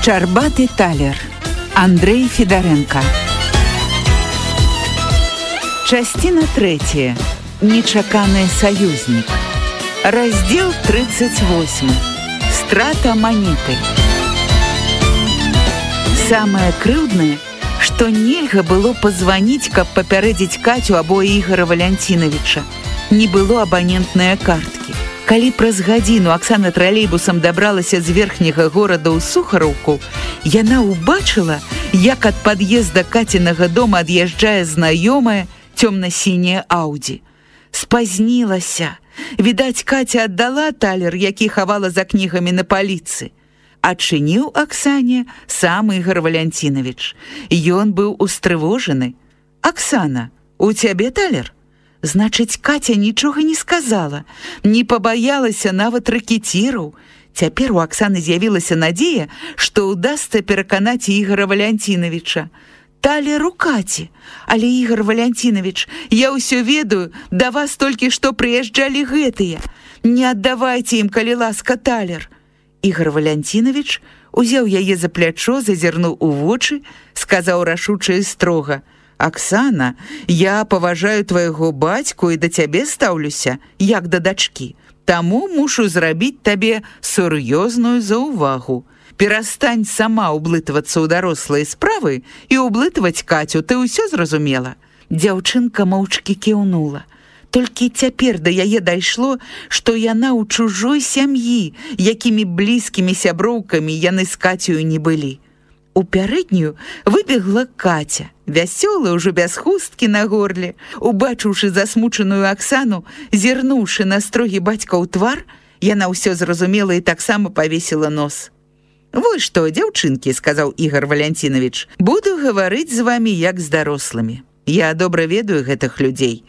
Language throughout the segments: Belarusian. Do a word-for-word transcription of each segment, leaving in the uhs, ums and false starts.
Шчарбаты талер. Андрей Федаренко. Частина третья. Нечаканы саюзнік. Раздзел тридцать восьмы. Страта манеты. Самае крыўднае, што нельга было пазваніць, каб папярэдзіць Катю або Ігора Валянціновіча. Не было абанентнае карткі. Калі праз гадзіну Аксана тралейбусам дабралася з верхняга горада ў Сухараўку, яна ўбачыла, як ад пад'езда Кацінага дома ад'язджае знаёмая цёмна-сіняя Ауді. Спазнілася. Відаць, Катя аддала талер, які хавала за кнігамі на паліцы. Адчыніў Аксане сам Ігор Валянціновіч. Ён быў устрывожаны. «Аксана, у цябе талер?» Значыць, Катя нічога не сказала, не пабаялася нават рэкетіраў. Цяпер у Аксаны з'явілася надзея, што ўдасца пераканаць Ігора Валянціновіча. «Талер у Каці, але, Ігор Валянціновіч, я ўсё ведаю, да вас толькі што прыязджалі гэтыя. Не аддавайце ім, калі ласка, талер». Ігор Валянціновіч узяў яе за плячо, зазірнуў у вочы, сказаў рашуча і строга: «Аксана, я паважаю твайго бацьку і да цябе стаўлюся, як да дачкі. Таму мушу зрабіць табе сур'ёзную заўвагу. Перастань сама ўблытвацца ў дарослыя справы і ўблытваць Катю, ты ўсё зразумела». Дзяўчынка моўчкі кіўнула. Толькі цяпер да яе дайшло, што яна ў чужой сям'і, якімі блізкімі сяброўкамі яны з Кацею не былі. У пярэднюю выбегла Катя, вясёлая, ўжо без хусткі на горле. Убачыўшы засмучаную Аксану, зірнуўшы на строгі бацькаў твар, яна ўсё зразумела і таксама павесіла нос. «Вось што, дзяўчынкі, — сказаў Ігор Валянціновіч, — буду гаварыць з вамі як з дарослымі. Я добра ведаю гэтых людзей.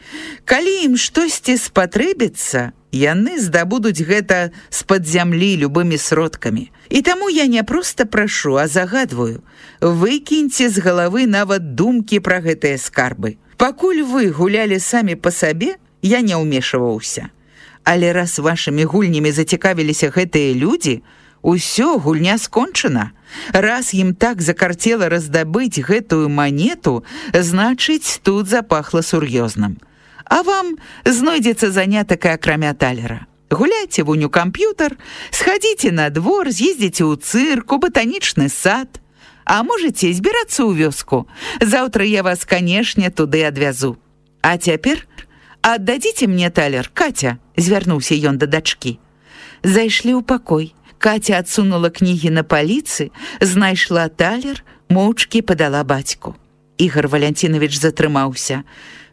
Калі ім штосьці спатрэбіцца, яны здабудуць гэта з-пад зямлі любымі сродкамі. І таму я не проста прашу, а загадваю. Выкіньце з галавы нават думкі пра гэтыя скарбы. Пакуль вы гулялі самі па сабе, я не ўмешваўся. Але раз вашымі гульнямі зацікавіліся гэтыя людзі, усё, гульня скончана. Раз ім так закарцела раздабыць гэтую манету, значыць, тут запахла сур'ёзным. А вам знойдзецца занятак і акрамя талера. Гуляйце вунь у камп'ютар, схадзіце на двор, з'ездзіце ў цырк, у батанічны сад. А можаце збірацца ў вёску. Заўтра я вас, канешне, туды адвязу. А цяпер аддадзіце мне талер, Катя», — звярнуўся ён да дачкі. Зайшлі ў пакой. Катя адсунула кнігі на паліцы, знайшла талер, моўчкі падала бацьку. Ігор Валянціновіч затрымаўся.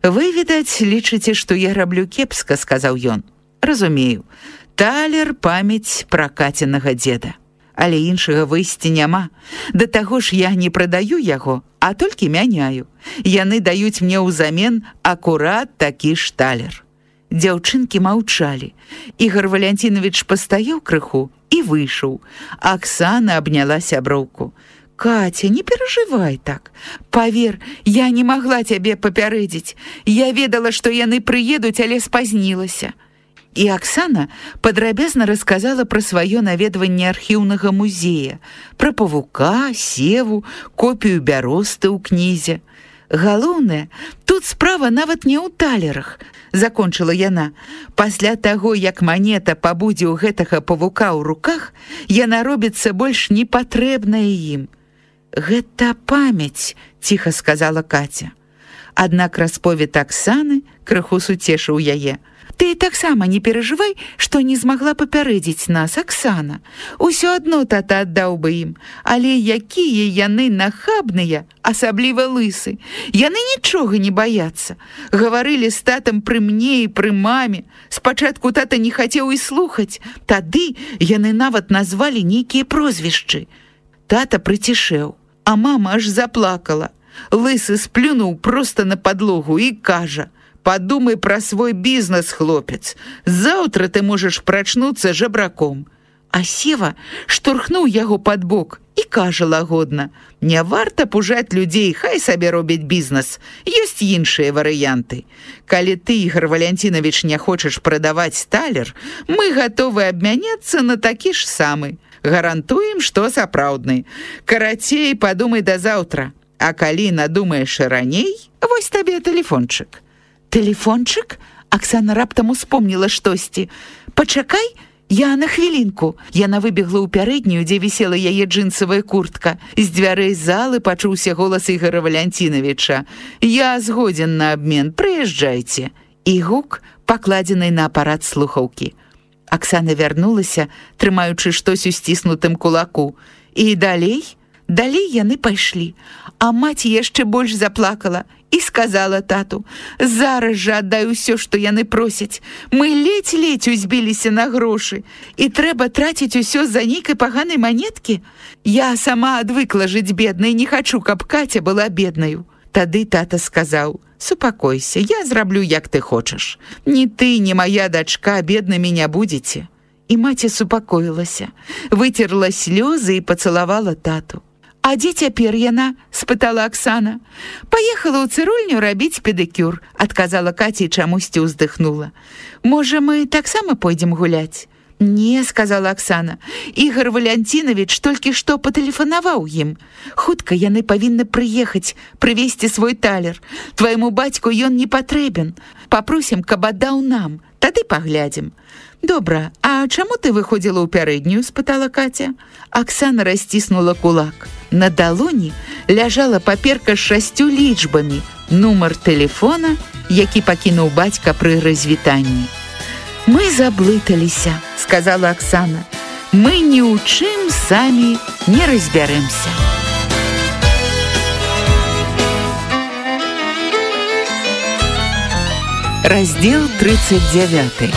«Вы, відаць, лічыце, што я раблю кепска», — сказаў ён. «Разумею. Талер — памяць пра Кацінага дзеда. Але іншага выйсця няма. Да таго ж я не прадаю яго, а толькі мяняю. Яны даюць мне ўзамен акурат такі ж талер». Дзяўчынкі маўчалі. Ігор Валянціновіч пастаяў крыху і выйшаў. Аксана абняла сяброўку. «Катя, не перажывай так. Павер, я не магла цябе папярэдзіць. Я ведала, што яны прыедуць, але спазнілася». І Аксана падрабязна расказала пра сваё наведванне архіўнага музея, пра павука, севу, копію бяросты ў кнізе. «Галоўнае, тут справа нават не ў талерах», — закончыла яна. «Пасля таго, як манета пабудзе ў гэтага павука ў руках, яна робіцца больш непатрэбная ім». «Гэта памяць», — ціха сказала Катя. Аднак расповед Аксаны крыху суцешыў яе. «Ты таксама не перажывай, што не змагла папярэдзіць нас, Аксана. Усё адно тата аддаў бы ім. Але якія яны нахабныя, асабліва лысы. Яны нічога не баяцца. Гаварылі з татам пры мне і пры маме. Спачатку тата не хацеў і слухаць. Тады яны нават назвалі нейкія прозвішчы. Тата прыцішэў, а мама аж заплакала. Лысы сплюнуў проста на падлогу і кажа: «Подумай пра свой бізнес, хлопец. Заўтра ты можаш прачнуцца жабраком». А Сева штурхнуў яго пад бок і кажа лагодна: «Не варта пужаць людзей, хай сабе робяць бізнес. Ёсць іншыя варыянты. Калі ты, Ігор Валянціновіч, не хочаш прадаваць талер, мы гатовы абмяняцца на такі ж самы. Гарантуем, што сапраўдны. Карацей, падумай да заўтра. А калі надумаеш раней, вось табе тэлефончык. Тэлефончык? Аксана раптам успомніла штосьці. Пачакай, я на хвілінку. Яна выбегла ў пярэднюю, дзе вісела яе джинсавая куртка. З дзвярэй залы пачуўся голас Ігора Валянцінавіча. Я згодзен на абмен, прыязджайце. І гук, пакладзены на апарат слухаўкі. Аксана вярнулася, трымаючы штось у сціснутым кулаку. І далей, далей яны пайшлі. А маці яшчэ больш заплакала і сказала тату: «Зараз жа аддай усё, што яны просяць. Мы ледзь-ледзь узбіліся на грошы, і трэба траціць усё з-за нейкай паганай манеткі. Я сама адвыкла жыць беднай, не хачу, каб Каця была беднаю». Тады тата сказаў: «Супакойся, я зраблю, як ты хочаш. Ні ты, ні моя дачка беднымі не будзеце». І маці супакоілася, выцерла слёзы і пацалавала тату. «А дзе цяпер яна?» – спытала Аксана. «Паехала ў цырульню рабіць педикюр», – адказала Каця і чамусьці ўздыхнула. «Можа, мы таксама пойдзем гуляць?» «Не», – сказала Аксана. «Ігор Валянцінавіч толькі што патэлефанаваў ім. Хутка яны павінны прыехаць, прывезці свой талер. Твайму бацьку ён не патрэбен. Папросім, каб аддаў нам. Тады паглядзім». «Добра, а чаму ты выходзіла ў пярэднюю?» – спытала Катя. Аксана расціснула кулак. На далоні ляжала паперка з шасцю лічбамі, нумар тэлефона, які пакінуў бацька пры развітанні. «Мы заблыталіся», – сказала Аксана. «Мы ні ў чым самі не разбярэмся». Раздзел тридцать девять.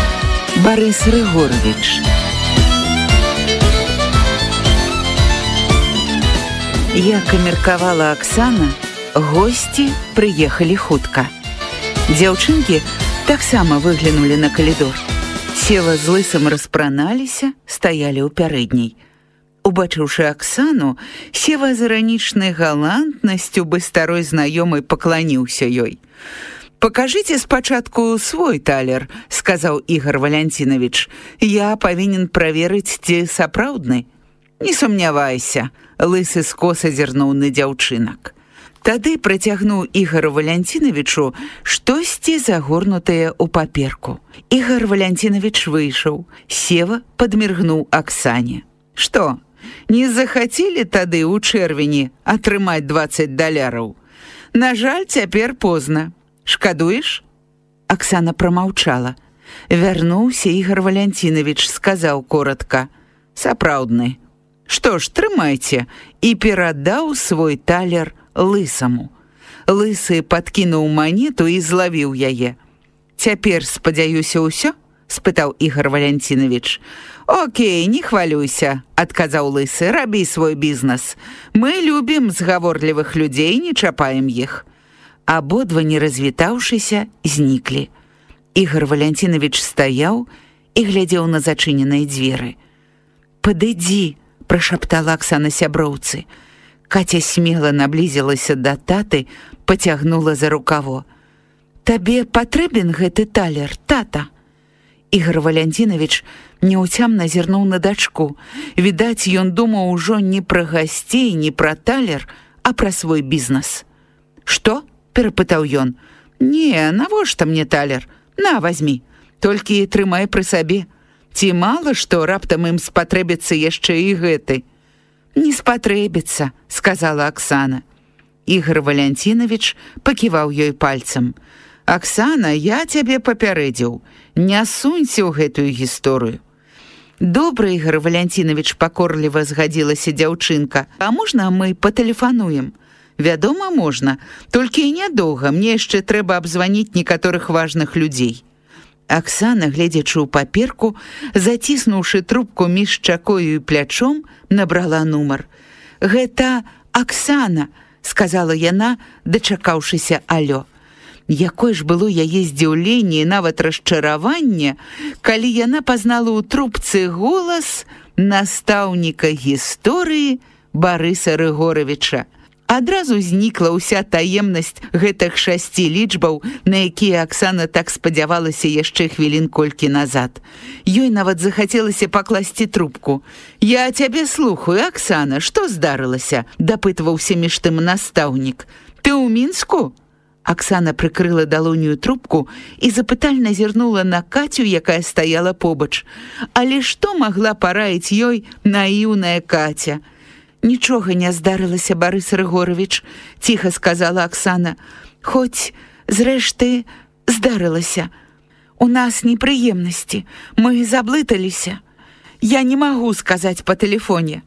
Барыс Рыгорович. Як і меркавала Аксана, госці прыехалі хутка. Дзяўчынкі таксама выглянулі на калідор. Сева з Лысым распраналіся, стаялі ў пярэдняй. Убачыўшы Аксану, Сева з іранічнай галантнасцю бы старой знаёмай пакланіўся ёй. «Покажите спачатку свой талер», – сказаў Ігор Валянцінавіч. «Я павінен праверыць, ці сапраўдны». «Не сумнявайся», – Лысы скоса зірнуў на дзяўчынак. Тады працягнуў Ігору Валянцінавічу штосьці загорнутае ў паперку. Ігор Валянцінавіч выйшаў. Сева падміргнуў Аксане. «Што, не захацелі тады ў чэрвені атрымаць дваццаць даляраў? На жаль, цяпер позна. Шкадуеш?» Аксана прамаўчала. Вярнуўся Ігор Валянцінавіч, сказаў коротка: «Сапраўдны. Што ж, трымайце», і перадаў свой талер Лысаму. Лысы падкінуў манету і злавіў яе. «Цяпер, спадзяюся, ўсё?» – спытаў Ігор Валянцінавіч. «Окей, не хвалюйся», – адказаў Лысы, – «рабі свой бізнес. Мы любім згаворлівых людзей, не чапаем іх». Абодва, не развітаўшыся, зніклі. Ігор Валянцінавіч стаяў і глядзеў на зачыненыя дзверы. «Падыдзі», – прашаптала Аксана сяброўцы. Катя смела наблізілася да таты, пацягнула за рукаво. «Табе патрэбен гэты талер, тата?» Ігор Валянцінавіч няўцямна зірнуў на дачку. Відаць, ён думаў ужо не пра гасцей, не пра талер, а пра свой бізнес. «Што?» – перапытаў ён. «Не, навошта мне талер? На, вазьмі. Толькі трымай пры сабе. Ці мала што раптам ім спатрэбіцца яшчэ і гэты?» «Не спатрэбіцца», – сказала Аксана. Ігор Валянцінавіч паківаў ёй пальцам. «Аксана, я цябе папярэдзіў. Не сунься ў гэтую гісторыю». «Добра, Ігор Валянцінавіч», – пакорліва згадзілася дзяўчынка. «А можна мы патэлефануем?» «Вядома, можна. Толькі і нядоўга. Мне яшчэ трэба абзваніць некаторых важных людзей». Аксана, гледзячы ў паперку, заціснуўшы трубку між чакою і плячом, набрала нумар. «Гэта Аксана», – сказала яна, дачакаўшыся алё. Якое ж было яе здзіўленне і нават расчараванне, калі яна пазнала ў трубцы голас настаўніка гісторыі Барыса Рыгоровича. Адразу знікла ўся таемнасць гэтых шасці лічбаў, на якія Аксана так спадзявалася яшчэ хвілін колькі назад. Ёй нават захацелася пакласці трубку. «Я цябе слухаю, Аксана, што здарылася?» – дапытваўся між тым настаўнік. «Ты ў Мінску?» Аксана прыкрыла далонью трубку і запытальна зірнула на Кацю, якая стаяла побач. Але што магла параіць ёй наіўная Каця? «Нічога не здарылася, Барыс Рыгорович», – ціха сказала Аксана. «Хоць, зрэшты, здарылася. У нас непрыемнасці, мы заблыталіся. Я не магу сказаць па тэлефоне.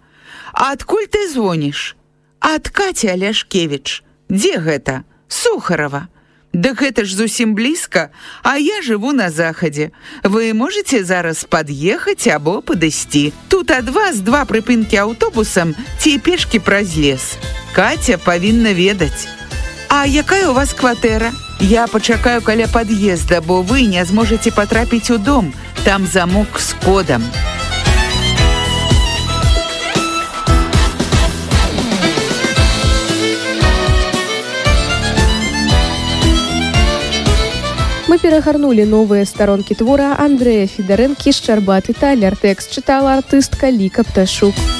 А адкуль ты звоніш?» «Ад Каці Аляшкевіч». «Дзе гэта?» «Сухарова». «Дык гэта ж зусім блізка, а я жыву на захадзе. Вы можете зараз пад'ехаць або падысці. Тут ад вас два прыпынкі аўтобусам ці пешкі праз лес. Каця павінна ведаць». «А якая у вас кватэра?» «Я пачакаю каля пад'езда, бо вы не зможаце патрапіць у дом. Там замок з кодам». Мы перагарнулі новыя старонкі твора Андрэя Федарэнкі «Шчарбаты талер». Тэкст чытала артыстка Ліка Пташук.